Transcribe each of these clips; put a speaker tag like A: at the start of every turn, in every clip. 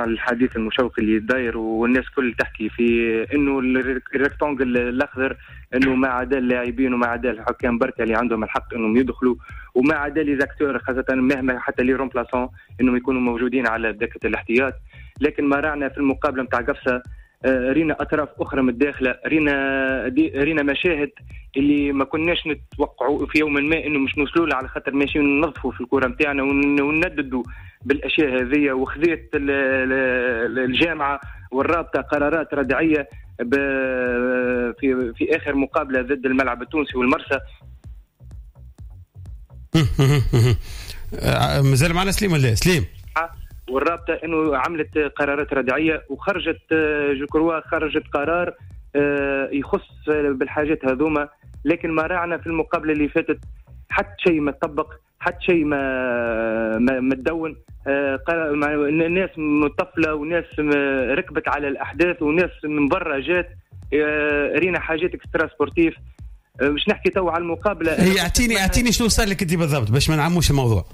A: الحديث المشوق اللي داير والناس كل تحكي في انه ال rectangle الاخضر، انه ما عدا اللاعبين وما عدا الحكام بركة اللي عندهم الحق انهم يدخلوا، وما عدا les acteurs، خاصة مهما حتى les remplaçants انهم يكونوا موجودين على دكه الاحتياط. لكن ما راعنا في المقابلة نتاع قفصه، رينا اطراف اخرى من الداخله، رينا مشاهد اللي ما كناش نتوقعوا في يوم ما انه مش نوصلوا لها، على خاطر ماشيين ننظفوا في الكره نتاعنا وننددوا بالاشياء هذه. وخذيت الجامعة والرابطه قرارات ردعيه في اخر مقابله ضد الملعب التونسي والمرسى.
B: مازال معنا سليم ولا سليم؟
A: والرابطه انه عملت قرارات ردعيه وخرجت، je crois خرجت قرار يخص بالحاجات هذوما، لكن ما راعنا في المقابلة اللي فاتت حتى شيء ما تطبق، حتى شيء ما تدون. ناس مطفله وناس ركبت على الاحداث وناس من برا جات، رينا حاجات extra-sportives. مش نحكي تو على المقابله.
B: هي اعطيني شنو صار لك انت بالضبط باش ما نعموش الموضوع.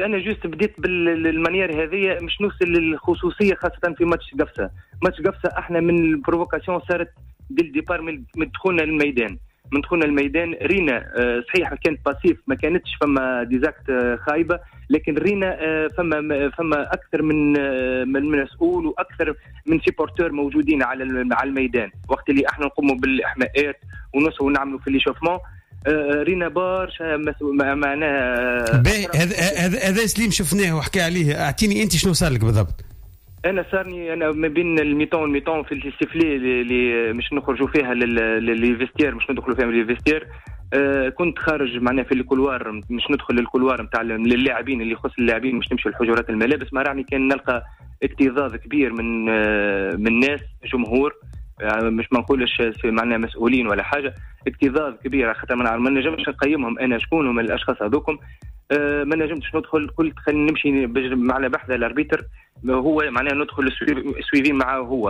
A: انا juste بديت بال manière هذه مش نوصل للخصوصيه، خاصة في ماتش قفصه. ماتش قفصه احنا من ال provocation صارت dès le départ من دخولنا للميدان. من دخولنا الميدان رينا، صحيح كانت passif، ما كانتش فما des actes خايبه، لكن رينا فما اكثر من مسؤول واكثر من supporteur موجودين على الميدان وقت اللي احنا نقوموا بالاحماءات ونص ونعملوا في l'échauffement. رينا برشا معناها.
B: هذا سليم شفناه وحكى عليه، اعطيني انت شنو صار لك بالضبط؟
A: انا صارني انا ما بين ال mi-temps وال mi-temps في ال sifflet اللي مش نخرجوا فيها les vestiaires، مش ندخلوا فيها les vestiaires، كنت خارج معناها في ال couloir، مش ندخل لل couloir نتاع للاعبين اللي يخص اللاعبين، مش نمشي لحجرات الملابس. ما رعني كان نلقى اكتظاظ كبير من ناس جمهور، مش ما نقولش معناها مسؤولين ولا حاجه، اكتظاظ كبير خاطر ما نجمش نقيمهم انا شكون هم الاشخاص هذوكم. ما نجمتش ندخل، قلت خلينا نمشي معنا بحذا l'arbitre، هو معناها ندخل suivi معه هو،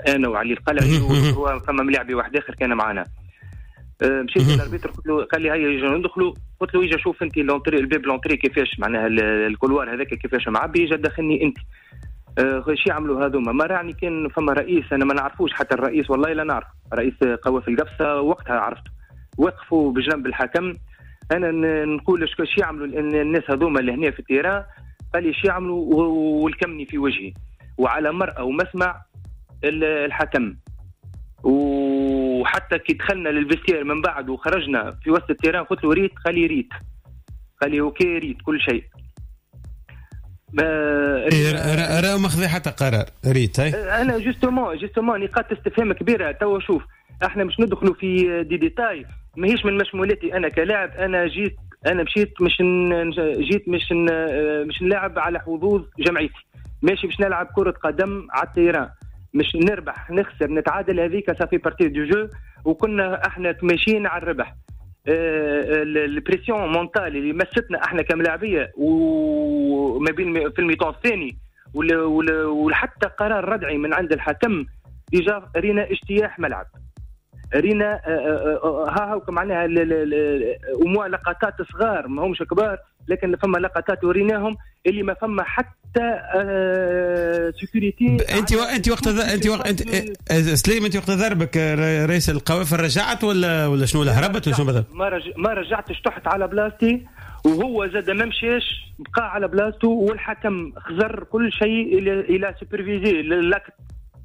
A: انا وعلي القلعي وهو فما ملاعبي واحد اخر كان معنا. مشيت لل arbitre قلت له، قال لي هيا يجي ندخلوا، قلت له اجا شوف انت l'entrée، الباب l'entrée كيفاش معناها ال couloir هذاك كيفاش معبي، اجا دخلني انت. شو يعملوا هذوما؟ ما راني كان فما رئيس انا ما نعرفوش حتى الرئيس، والله لا نعرف رئيس قوافل القفصه وقتها عرفته، وقفوا بجنب الحكم. انا نقول شو يعملوا الناس هذوما اللي هنا في ال terrain؟ قال لي شو يعملوا والكمني في وجهي وعلى مرأى ومسمع الحكم. وحتى كي دخلنا لل vestiaire من بعد وخرجنا في وسط ال terrain قلت له ريت، قال لي ريت، قال لي OK ريت كل شيء.
B: راه ما خذا حتى قرار ريت.
A: انا justement نقاط استفهام كبيرة توا. شوف احنا مش ندخلوا في des détails ماهيش من مشمولاتي انا كلاعب. انا جيت، انا مشيت مش جيت مش نلعب على حظوظ جمعيتي، ماشي باش نلعب كرة قدم على ال terrain، مش نربح نخسر نتعادل، هذيك ça fait partie du jeu. وكنا احنا ماشيين على الربح. ال pression mentale اللي مستنا احنا كملاعبيه وما بين في ال mi-temps الثاني وحتى قرار ردعي من عند الحكم، déjà رينا اجتياح ملعب، رينا ها هو معناها وموا لقطات صغار ما همش كبار، لكن فما لقطات وريناهم اللي ما فما حتى sécurité.
B: انت وقت انت وقت انت سليم، انت وقت ضربك رئيس القوافل رجعت ولا شنو، ولا هربت ولا شنو بالضبط؟
A: ما رجعتش، طحت على بلاصتي وهو زاد ما مشاش، بقى على بلاصته، والحكم خزر كل شيء il a supervisé l'acte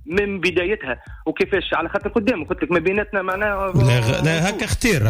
A: من بدايتها وكيفاش، على خاطر قدامه قلت لك ما بيناتنا معناها.
B: لا، لا هكا خطير.